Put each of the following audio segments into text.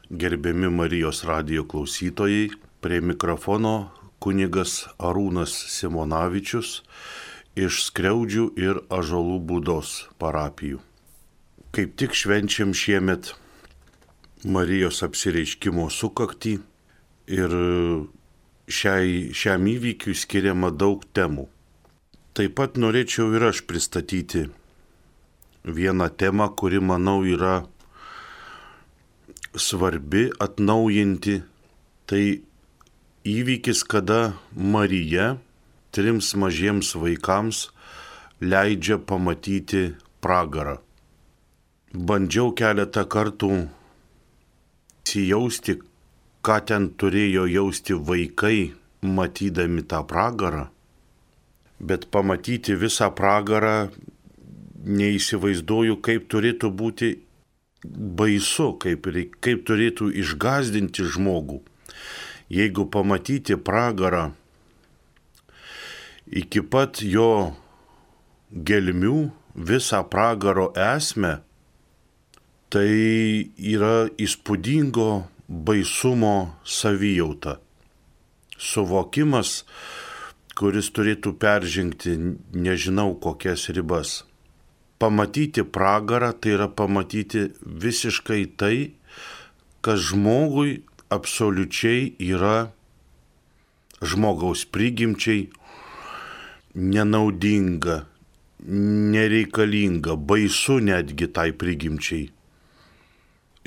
Gerbiami Marijos radijo klausytojai, prie mikrofono kunigas Arūnas Simonavičius iš Skriaudžių ir Ąžuolų Būdos parapijų. Kaip tik švenčiam šiemet Marijos apsireiškimo sukaktį ir šiam įvykiui skiriama daug temų. Taip pat norėčiau ir aš pristatyti vieną temą, kuri, manau, yra svarbi atnaujinti. Tai įvykis, kada Marija 3 mažiems vaikams leidžia pamatyti pragarą. Bandžiau keletą kartų įsijausti, ką ten turėjo jausti vaikai, matydami tą pragarą, bet pamatyti visą pragarą neįsivaizduoju, kaip turėtų būti baisu, kaip turėtų išgąsdinti žmogų. Jeigu pamatyti pragarą iki pat jo gelmių, visą pragaro esmę, tai yra įspūdingo baisumo savijauta. Suvokimas, kuris turėtų peržengti nežinau kokias ribas. Pamatyti pragarą tai yra pamatyti visiškai tai, kas žmogui absoliučiai yra žmogaus prigimčiai nenaudinga, nereikalinga, baisu netgi tai prigimčiai.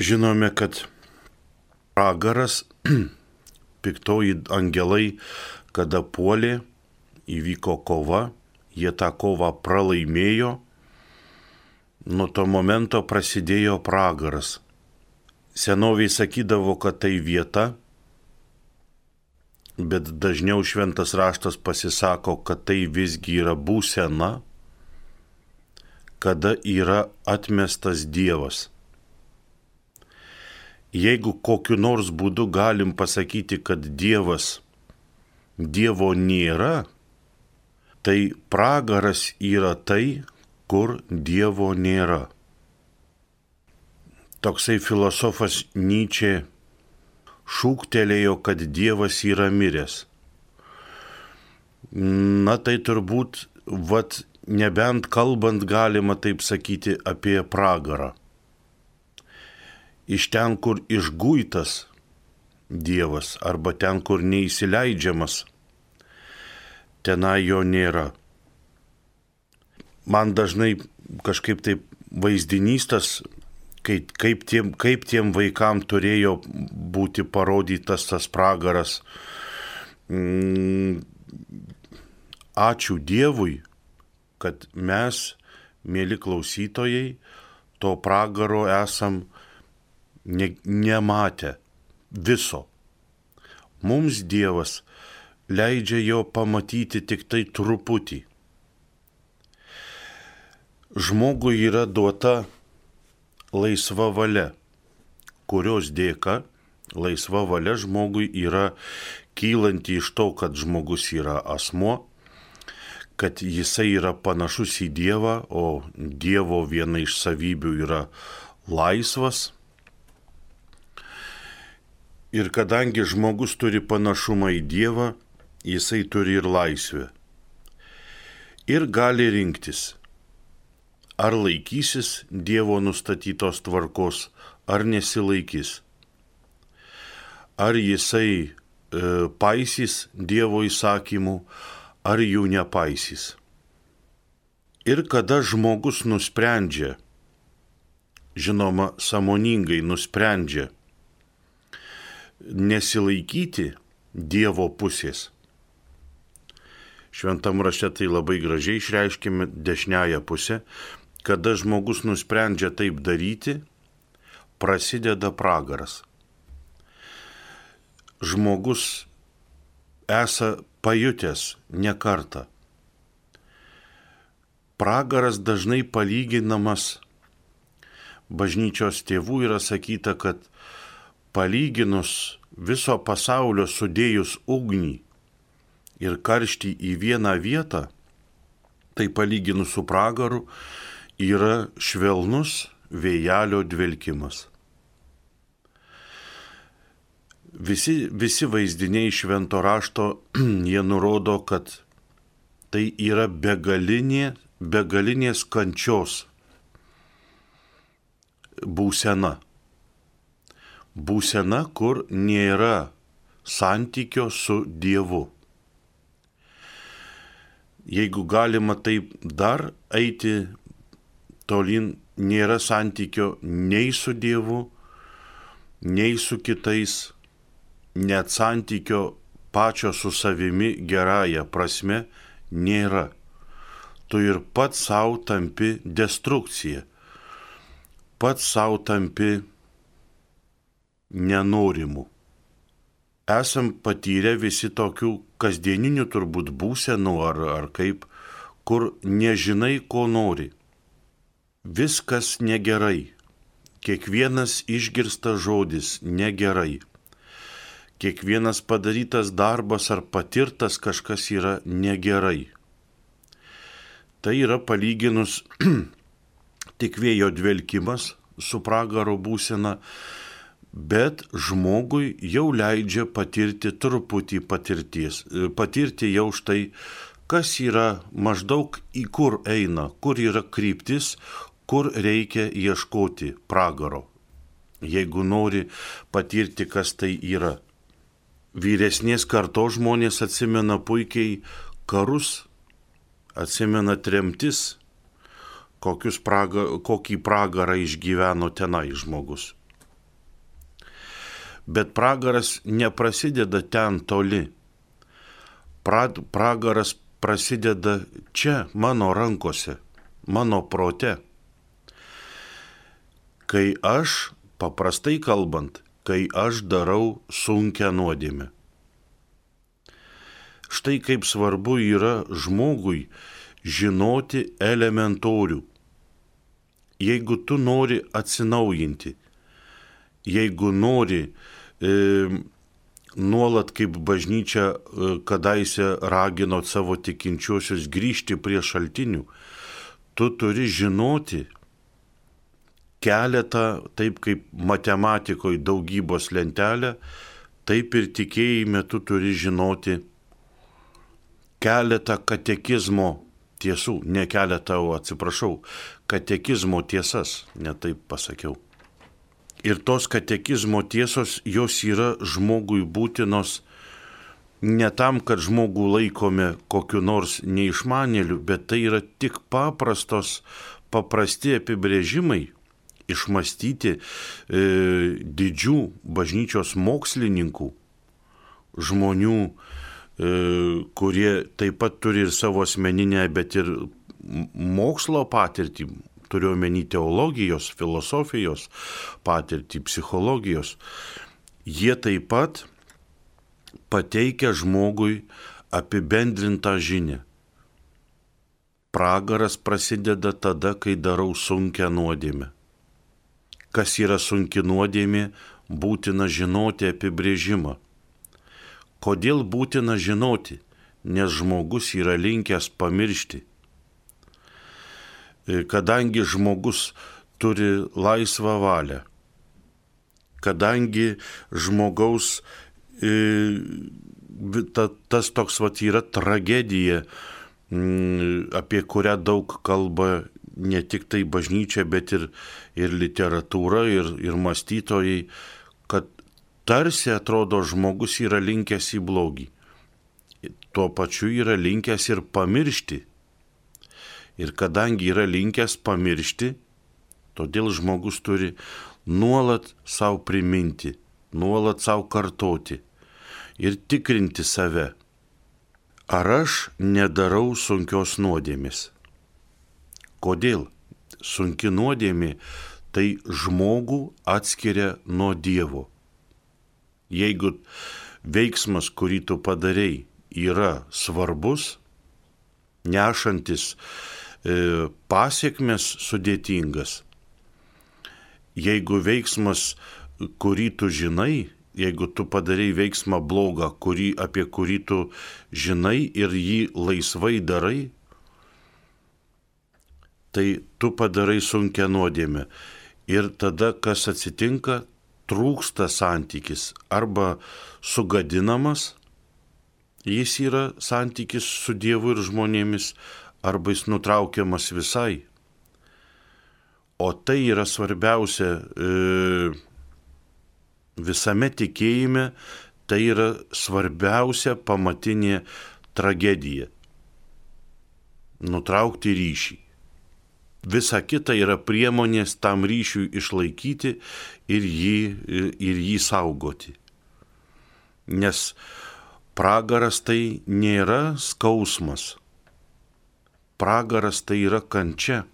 Žinome, kad pragaras, piktoji angelai, kada puolė, įvyko kova, jie tą kovą pralaimėjo. Nuo to momento prasidėjo pragaras. Senoviai sakydavo, kad tai vieta, bet dažniau šventas raštas pasisako, kad tai visgi yra būsena, kada yra atmestas Dievas. Jeigu kokiu nors būdu galim pasakyti, kad Dievo nėra, tai pragaras yra tai, kur Dievo nėra. Toksai filosofas Nyčė šūktelėjo, kad Dievas yra miręs. Na tai turbūt, nebent kalbant galima taip sakyti apie pragarą. Iš ten, kur išguitas Dievas, arba ten, kur neįsileidžiamas, tenai jo nėra. Man dažnai kažkaip taip vaizdinys tas, kaip tiem vaikam turėjo būti parodytas tas pragaras. Ačiū Dievui, kad mes, mėly klausytojai, to pragaro esam nematę viso. Mums Dievas leidžia jo pamatyti tik tai truputį. Žmogui yra duota laisva valia, kurios dėka laisva valia žmogui yra kylanti iš to, kad žmogus yra asmuo, kad jisai yra panašus į Dievą, o Dievo viena iš savybių yra laisvas. Ir kadangi žmogus turi panašumą į Dievą, jisai turi ir laisvę. Ir gali rinktis, ar laikysis Dievo nustatytos tvarkos, ar nesilaikys. Ar jisai paisys Dievo įsakymų, ar jų nepaisys. Ir kada žmogus nusprendžia, žinoma, sąmoningai nusprendžia nesilaikyti Dievo pusės. Šventam rašte tai labai gražiai išreiškime dešiniąją pusę. Kada žmogus nusprendžia taip daryti, prasideda pragaras. Žmogus esą pajutęs ne kartą. Pragaras dažnai palyginamas, bažnyčios tėvų yra sakyta, kad palyginus viso pasaulio sudėjus ugnį ir karštį į vieną vietą, tai palyginus su pragaru yra švelnus vėjelio dvelkimas. visi vaizdiniai švento rašto, jie nurodo, kad tai yra begalinės kančios būsena. Būsena, kur nėra santykio su Dievu. Jeigu galima taip dar eiti tolyn, nėra santykio nei su Dievu, nei su kitais, net santykio pačio su savimi gerąja prasme nėra. Tu ir pats savo tampi destrukcija, pats savo tampi nenorimu. Esam patyrę visi tokių kasdieninių turbūt būsenų ar kaip, kur nežinai, ko nori. Viskas negerai. Kiekvienas išgirstas žodis negerai. Kiekvienas padarytas darbas ar patirtas kažkas yra negerai. Tai yra palyginus tik vėjo dvelkimas su pragaro būsena, bet žmogui jau leidžia patirti truputį patirties. Patirti jau štai, kas yra maždaug į kur eina, kur yra kryptis, kur reikia ieškoti pragaro, jeigu nori patirti, kas tai yra. Vyresnės kartos žmonės atsimena puikiai karus, atsimena tremtis, kokį pragarą išgyveno tenai žmogus. Bet pragaras neprasideda ten toli. Pragaras prasideda čia, mano rankose, mano prote. Kai aš, paprastai kalbant, kai aš darau sunkią nuodėmę. Štai kaip svarbu yra žmogui žinoti elementorių. Jeigu tu nori atsinaujinti, jeigu nori nuolat kaip bažnyčia kadaise ragino savo tikinčiuosius grįžti prie šaltinių, tu turi žinoti keletą, taip kaip matematikoje daugybos lentelę, taip ir tikėjime tu turi žinoti keletą katekizmo tiesų, ne keletą, katekizmo tiesas, ne taip pasakiau. Ir tos katekizmo tiesos, jos yra žmogui būtinos ne tam, kad žmogų laikome kokiu nors neišmanėliu, bet tai yra tik paprasti apibrėžimai, išmastyti didžių bažnyčios mokslininkų, žmonių, kurie taip pat turi ir savo asmeninę, bet ir mokslo patirtį, turiu omeny teologijos, filosofijos patirtį, psichologijos. Jie taip pat pateikia žmogui apibendrintą žinią. Pragaras prasideda tada, kai darau sunkią nuodėmę. Kas yra sunki nuodėmė, būtina žinoti apibrėžimą. Kodėl būtina žinoti? Nes žmogus yra linkęs pamiršti. Kadangi žmogus turi laisvą valią, kadangi žmogaus tas toks yra tragedija, apie kurią daug kalba ne tik tai bažnyčia, bet ir literatūra, ir mąstytojai, kad tarsi atrodo žmogus yra linkęs į blogį. Tuo pačiu yra linkęs ir pamiršti. Ir kadangi yra linkęs pamiršti, todėl žmogus turi nuolat savo priminti, nuolat savo kartoti ir tikrinti save. Ar aš nedarau sunkios nuodėmės? Kodėl? Sunki nuodėmė tai žmogų atskiria nuo Dievo. Jeigu veiksmas, kurį tu padarei, yra svarbus, nešantis pasiekmes sudėtingas, jeigu veiksmas, kurį tu žinai, jeigu tu padarei veiksmą blogą, apie kurį tu žinai ir jį laisvai darai, tai tu padarai sunkią nuodėmę. Ir tada, kas atsitinka, trūksta santykis arba sugadinamas, jis yra santykis su Dievu ir žmonėmis, arba jis nutraukiamas visai. O tai yra svarbiausia visame tikėjime, tai yra svarbiausia pamatinė tragedija. Nutraukti ryšį. Visa kita yra priemonės tam ryšiui išlaikyti ir jį saugoti. Nes pragaras tai nėra skausmas. Pragaras tai yra kančia,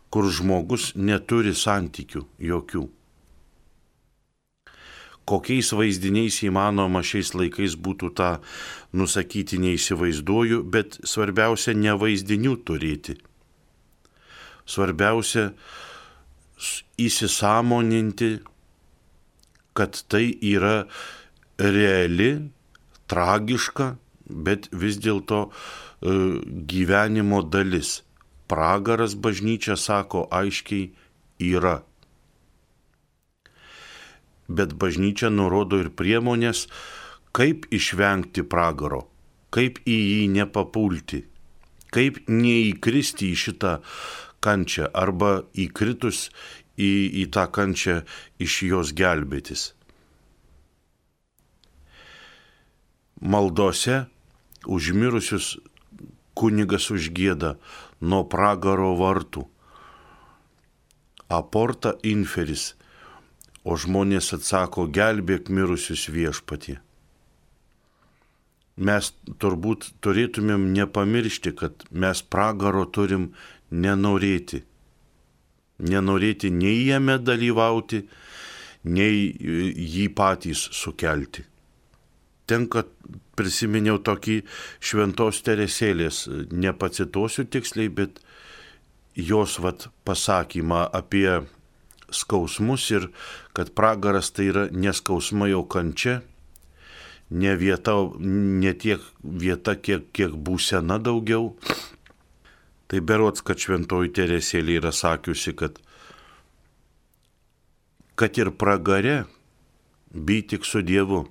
kur žmogus neturi santykių jokių. Kokiais vaizdiniais įmanoma šiais laikais būtų tą nusakyti neįsivaizduoju, bet svarbiausia ne vaizdinių turėti. Svarbiausia įsisąmoninti, kad tai yra reali, tragiška, bet vis dėlto gyvenimo dalis. Pragaras, bažnyčia sako aiškiai, yra. Bet bažnyčia nurodo ir priemonės, kaip išvengti pragaro, kaip į jį nepapulti, kaip neįkristi į šitą kančią arba įkritus į tą kančią iš jos gelbėtis. Maldose užmirusius kunigas užgieda nuo pragaro vartų. Aporta inferis. O žmonės atsako, gelbėk mirusius Viešpatie. Mes turbūt turėtumėm nepamiršti, kad mes pragaro turim nenorėti. Nenorėti nei jame dalyvauti, nei jį patys sukelti. Tenka prisiminiau tokį Šventos Teresėlės, nepacituosiu tiksliai, bet jos pasakymą apie skausmus ir kad pragaras tai yra neskausma jau kančia, ne tiek vieta, kiek būsena daugiau. Tai berods, kad Šventoji Teresėlė yra sakiusi, kad ir pragare bei tik su Dievu,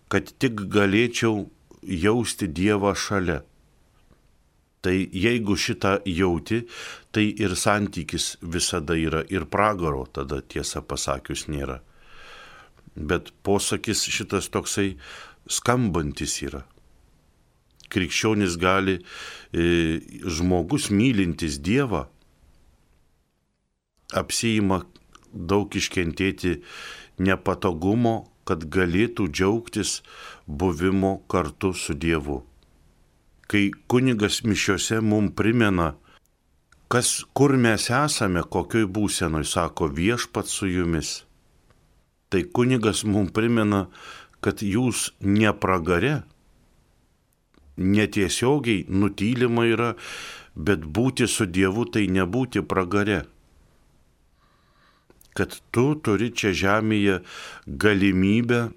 kad tik galėčiau jausti Dievą šalia. Tai jeigu šitą jauti, tai ir santykis visada yra, ir pragaro tada tiesą pasakius nėra. Bet posakis šitas toksai skambantis yra. Krikščionis gali, žmogus mylintis Dievą, apsiima daug iškentėti nepatogumo, kad galėtų džiaugtis buvimo kartu su Dievu. Kai kunigas mišiose mums primena, kur mes esame, kokioj būsenoj, sako Viešpats su jumis, tai kunigas mums primena, kad jūs ne pragare, netiesiogiai nutylima yra, bet būti su Dievu tai nebūti pragare. Kad tu turi čia žemėje galimybę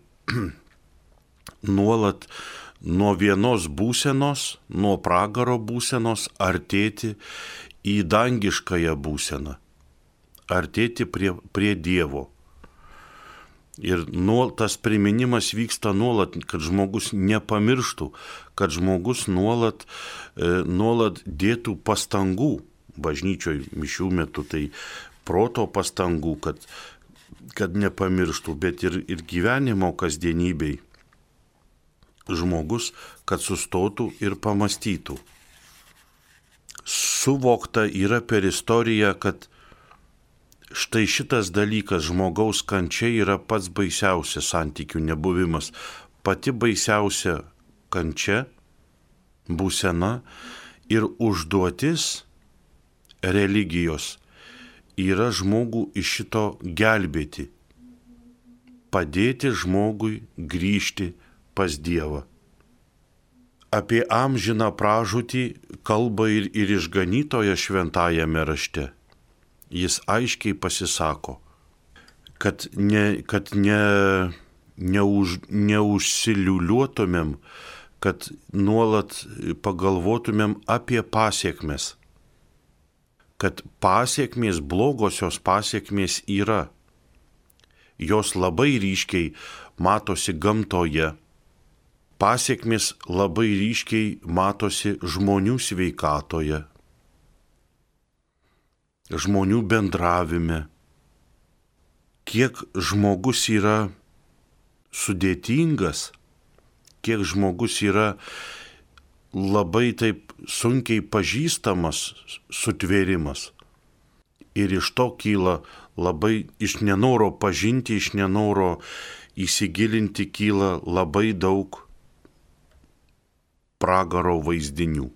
nuolat nuo vienos būsenos, nuo pragaro būsenos artėti į dangiškąją būseną, artėti prie Dievo. Ir tas priminimas vyksta nuolat, kad žmogus nepamirštų, kad žmogus nuolat dėtų pastangų bažnyčioj mišių metu, tai proto pastangų, kad nepamirštų, bet ir gyvenimo kasdienybei. Žmogus, kad sustotų ir pamastytų. Suvokta yra per istoriją, kad štai šitas dalykas, žmogaus kančia, yra pats baisiausias santykių nebuvimas. Pati baisiausia kančia, būsena ir užduotis religijos yra žmogų iš šito gelbėti. Padėti žmogui grįžti pas Dievą. Apie amžiną pražūtį kalba ir išganytojas šventajame rašte. Jis aiškiai pasisako, kad neužsiliuliuotumėm, kad nuolat pagalvotumėm apie pasiekmes. kad pasiekmės, blogosios pasiekmės yra. Jos labai ryškiai matosi gamtoje. Pasiekmės labai ryškiai matosi žmonių sveikatoje, žmonių bendravime. Kiek žmogus yra sudėtingas, kiek žmogus yra labai taip sunkiai pažįstamas sutvėrimas. Ir iš to kyla labai iš nenoro pažinti, iš nenoro įsigilinti kyla labai daug pragaro vaizdinių.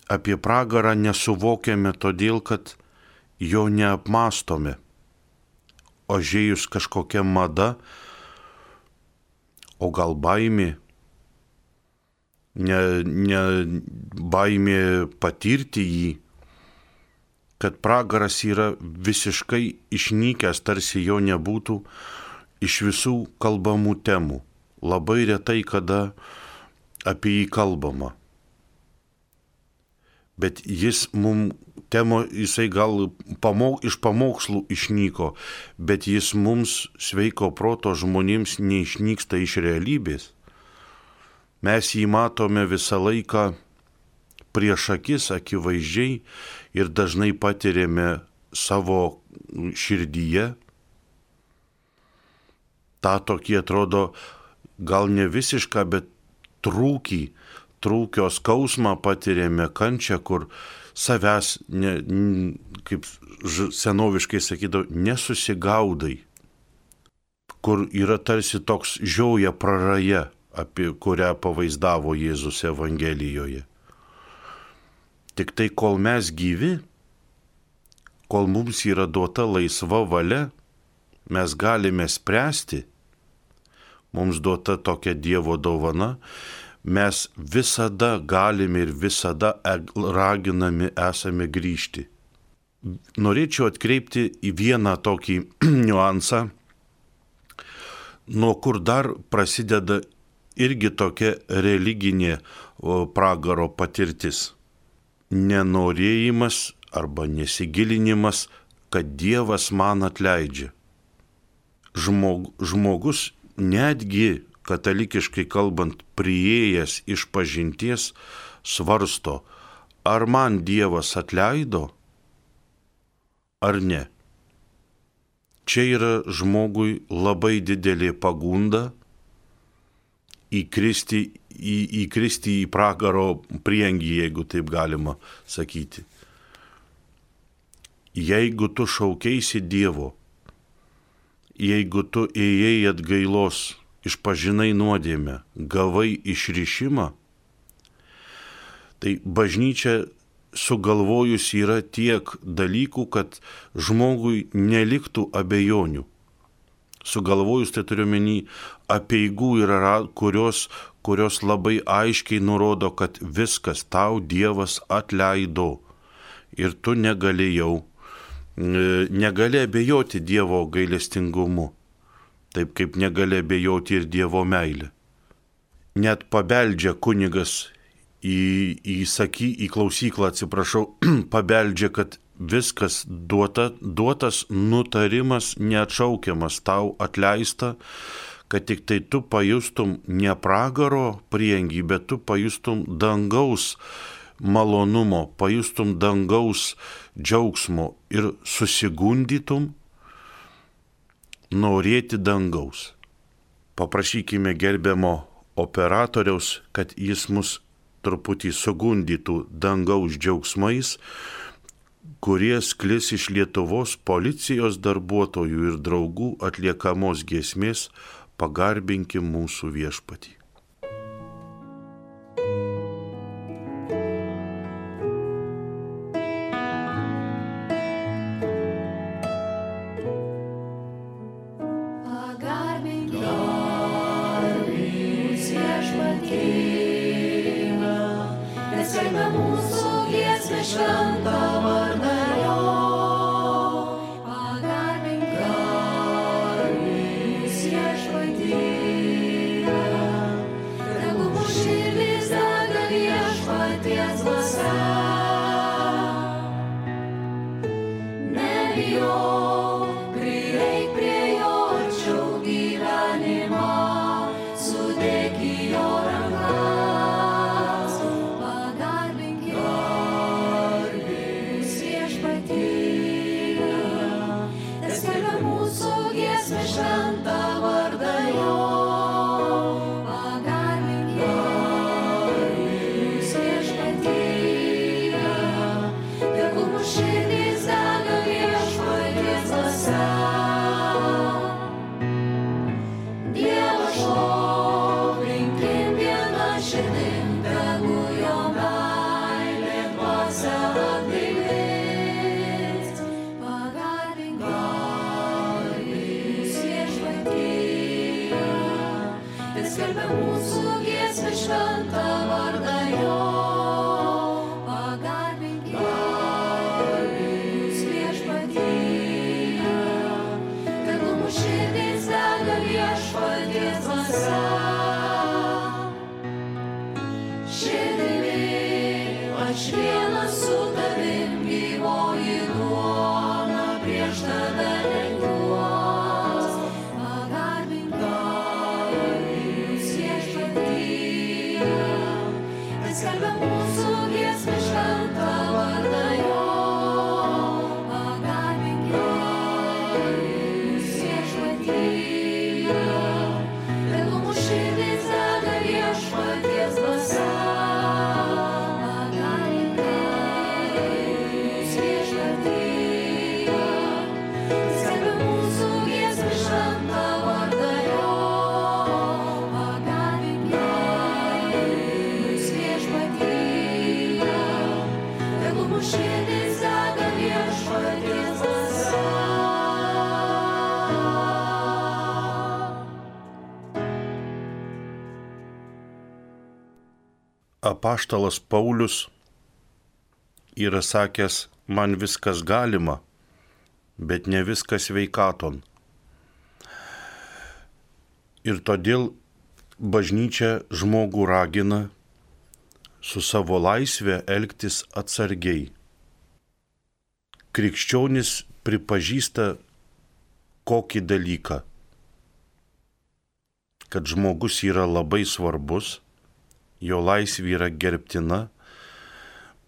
Apie pragarą nesuvokiame todėl, kad jo neapmastome. Ožėjus kažkokia mada, o gal baimė, baimė patirti jį, kad pragaras yra visiškai išnykęs, tarsi jo nebūtų iš visų kalbamų temų. Labai retai kada apie jį kalbama. Bet jis jisai gal iš pamokslų išnyko, bet jis mums sveiko proto žmonėms neišnyksta iš realybės. Mes jį matome visą laiką prieš akis akivaizdžiai ir dažnai patiriame savo širdyje. Ta tokį atrodo gal ne visišką, bet trūkio skausmą patiriame, kančią, kur savęs, kaip senoviškai sakydavo, nesusigaudai, kur yra tarsi toks žioja praraja, apie kurią pavaizdavo Jėzus Evangelijoje. Tik tai kol mes gyvi, kol mums yra duota laisva valia, mes galime spręsti, mums duota tokia Dievo dovana, mes visada galime ir visada raginami esame grįžti. Norėčiau atkreipti į vieną tokį niuansą, nuo kur dar prasideda irgi tokia religinė pragaro patirtis. Nenorėjimas arba nesigilinimas, kad Dievas man atleidžia. Žmogus netgi katalikiškai kalbant, priėjęs iš pažinties, svarsto, ar man Dievas atleido, ar ne. Čia yra žmogui labai didelė pagunda įkristi į pragaro priengį, jeigu taip galima sakyti. Jeigu tu šaukeisi Dievo, jeigu tu ėjai atgailos, išpažinai nuodėmę, gavai išrišimą, tai bažnyčia sugalvojus yra tiek dalykų, kad žmogui neliktų abejonių. Sugalvojus, tai turiu menį, apeigų yra, kurios labai aiškiai nurodo, kad viskas tau Dievas atleido ir tu negali abejoti Dievo gailestingumu. Taip kaip negali abejoti ir Dievo meilė. Net pabeldžia kunigas į klausyklą, pabeldžia, kad viskas duotas nutarimas neatšaukiamas, tau atleista, kad tik tai tu pajustum ne pragaro priengį, bet tu pajustum dangaus malonumo, pajustum dangaus džiaugsmo ir susigundytum norėti dangaus. Paprašykime gerbiamo operatoriaus, kad jis mus truputį sugundytų dangaus džiaugsmais, kurie sklis iš Lietuvos policijos darbuotojų ir draugų atliekamos giesmės Pagarbinkim mūsų Viešpatį. giesmę šventą vardą jo, pagarbink mūsų viešpatie, tegul mūsų širdys dega viešpaties dvasia. Dievą šlovinkim viena širdim, tegul jo meilė dvasia atgaivins. Pagarbink mūsų viešpatie, ir skelbia mūsų giesmę šventą vardą jo. Pagarbink mūsų viešpatie, tegul mūsų širdys dega viešpaties dvasia. Širdimi aš vienas su tavim gyvoji duona prieš tave lenkiuos. Pagarbink mūsų viešpatie, ir skelbia mūsų giesmę šventą vardą jo. Pagarbink mūsų viešpatie, tegul mūsų širdys dega viešpaties dvasia. Pagarbink mūsų viešpatie, skelbia mūsų giesmę šventą vardą jo. Pagarbink mūsų viešpatie, tegul mūsų širdys dega viešpaties dvasia. Apaštalas Paulius yra sakęs, man viskas galima, bet ne viskas sveikaton. Ir todėl bažnyčia žmogų ragina su savo laisvė elgtis atsargiai. Krikščionis pripažįsta kokį dalyką, kad žmogus yra labai svarbus, jo laisvė yra gerbtina,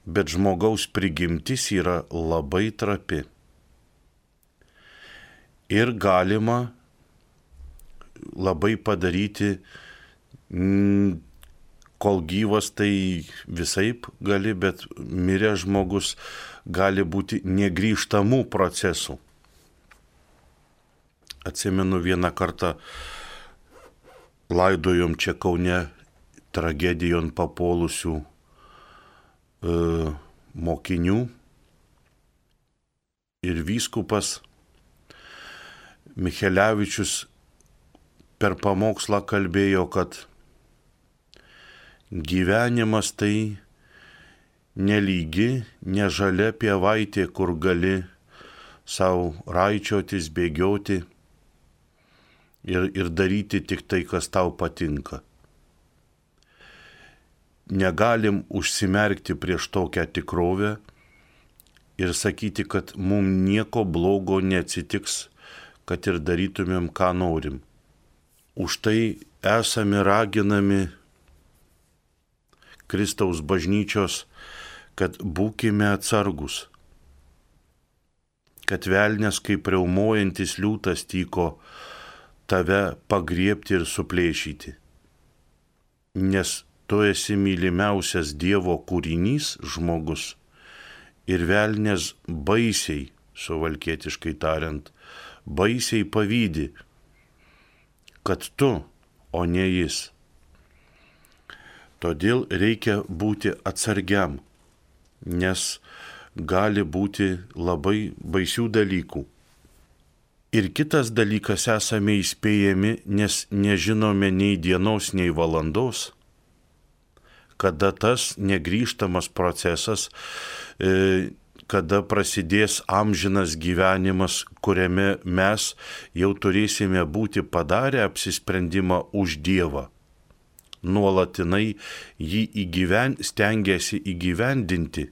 bet žmogaus prigimtis yra labai trapi. Ir galima labai padaryti, kol gyvas tai visaip gali, bet miręs žmogus gali būti negrįžtamų procesų. Atsimenu vieną kartą laidojom čia Kaune tragedijon papuolusių mokinių ir vyskupas Michelevičius per pamokslą kalbėjo, kad gyvenimas tai nelygi, nežalia pievaitė, kur gali savo raičiotis, bėgioti ir daryti tik tai, kas tau patinka. Negalim užsimerkti prieš tokią tikrovę ir sakyti, kad mums nieko blogo neatsitiks, kad ir darytumėm, ką norim. Už tai esame raginami Kristaus bažnyčios, kad būkime atsargus, kad velnias kaip riaumojantis liūtas tyko tave pagriebti ir suplėšyti. Nes tu esi mylimiausias Dievo kūrinys žmogus ir velnias baisiai, suvalkietiškai tariant, baisiai pavydi, kad tu, o ne jis. Todėl reikia būti atsargiam, nes gali būti labai baisių dalykų. Ir kitas dalykas, esame įspėjami, nes nežinome nei dienos, nei valandos, kada tas negrįžtamas procesas, kada prasidės amžinas gyvenimas, kuriame mes jau turėsime būti padarę apsisprendimą už Dievą. Nuolatinai jį stengiasi įgyvendinti,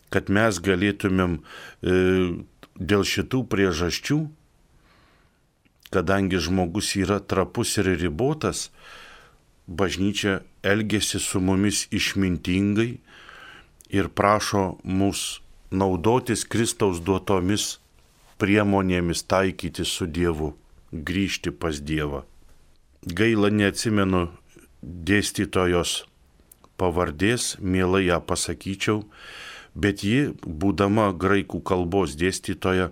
kad mes galėtumėm dėl šitų priežasčių, kadangi žmogus yra trapus ir ribotas, bažnyčia elgiasi su mumis išmintingai ir prašo mus naudotis Kristaus duotomis priemonėmis taikyti su Dievu, grįžti pas Dievą. Gaila, neatsimenu dėstytojos pavardės, mielai ją pasakyčiau, bet ji, būdama graikų kalbos dėstytoja,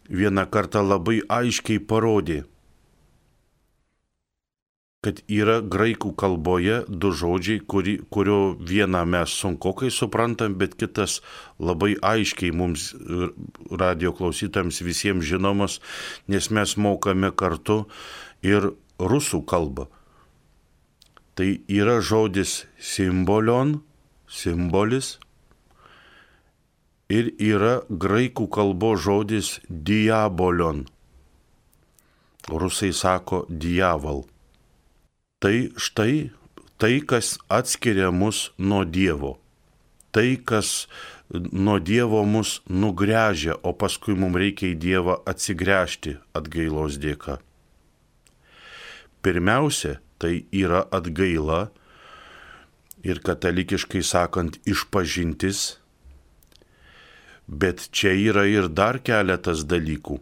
vieną kartą labai aiškiai parodė, kad yra graikų kalboje du žodžiai, kurio vieną mes sunkokai suprantam, bet kitas labai aiškiai mums radio klausytojams visiems žinomas, nes mes mokame kartu ir rusų kalbą. Tai yra žodis simbolion, simbolis, ir yra graikų kalbos žodis diabolion. Rusai sako diaval. Tai štai tai, kas atskiria mus nuo Dievo. Tai, kas nuo Dievo mus nugręžia, o paskui mums reikia į Dievą atsigręžti atgailos dėka. Pirmiausia, tai yra atgaila ir katalikiškai sakant išpažintis, bet čia yra ir dar keletas dalykų.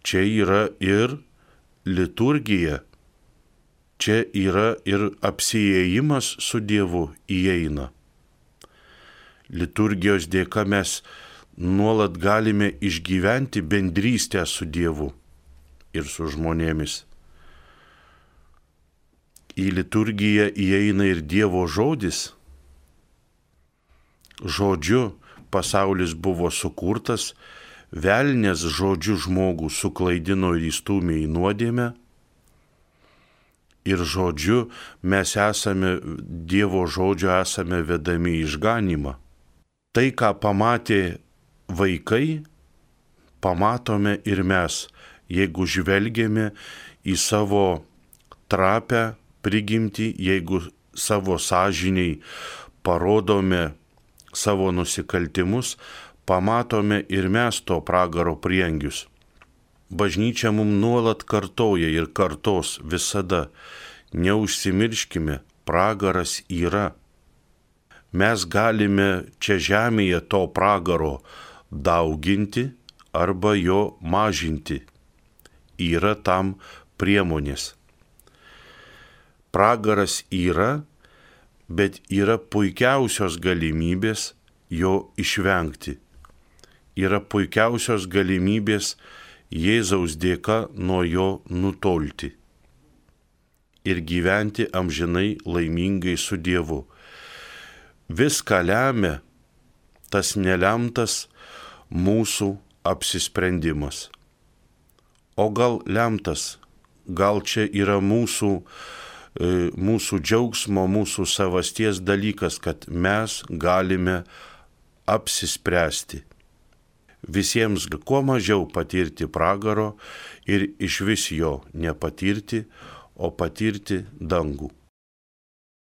Čia yra ir liturgija, čia yra ir apsiėjimas su Dievu įeina. Liturgijos dėka mes nuolat galime išgyventi bendrystę su Dievu ir su žmonėmis. Į liturgiją įeina ir Dievo žodis. Žodžiu pasaulis buvo sukurtas, velnias žodžiu žmogų suklaidino ir įstūmė į nuodėmę. Ir žodžiu mes esame, Dievo žodžio esame vedami į išganymą. Tai, ką pamatė vaikai, pamatome ir mes, jeigu žvelgiame į savo trapę prigimtį, jeigu savo sąžiniai parodome savo nusikaltimus, pamatome ir mes to pragaro prieangius. Bažnyčia mums nuolat kartoja ir kartos visada. Neužsimirškime, pragaras yra. Mes galime čia žemėje to pragaro dauginti arba jo mažinti. Yra tam priemonės. Pragaras yra, bet yra puikiausios galimybės jo išvengti. Yra puikiausios galimybės Jėzaus dėka nuo jo nutolti ir gyventi amžinai laimingai su Dievu. Viską lemia tas nelemtas mūsų apsisprendimas. O gal lemtas, gal čia yra mūsų džiaugsmo, mūsų savasties dalykas, kad mes galime apsispręsti. Visiems kuo mažiau patirti pragaro ir išvis jo nepatirti, o patirti dangų.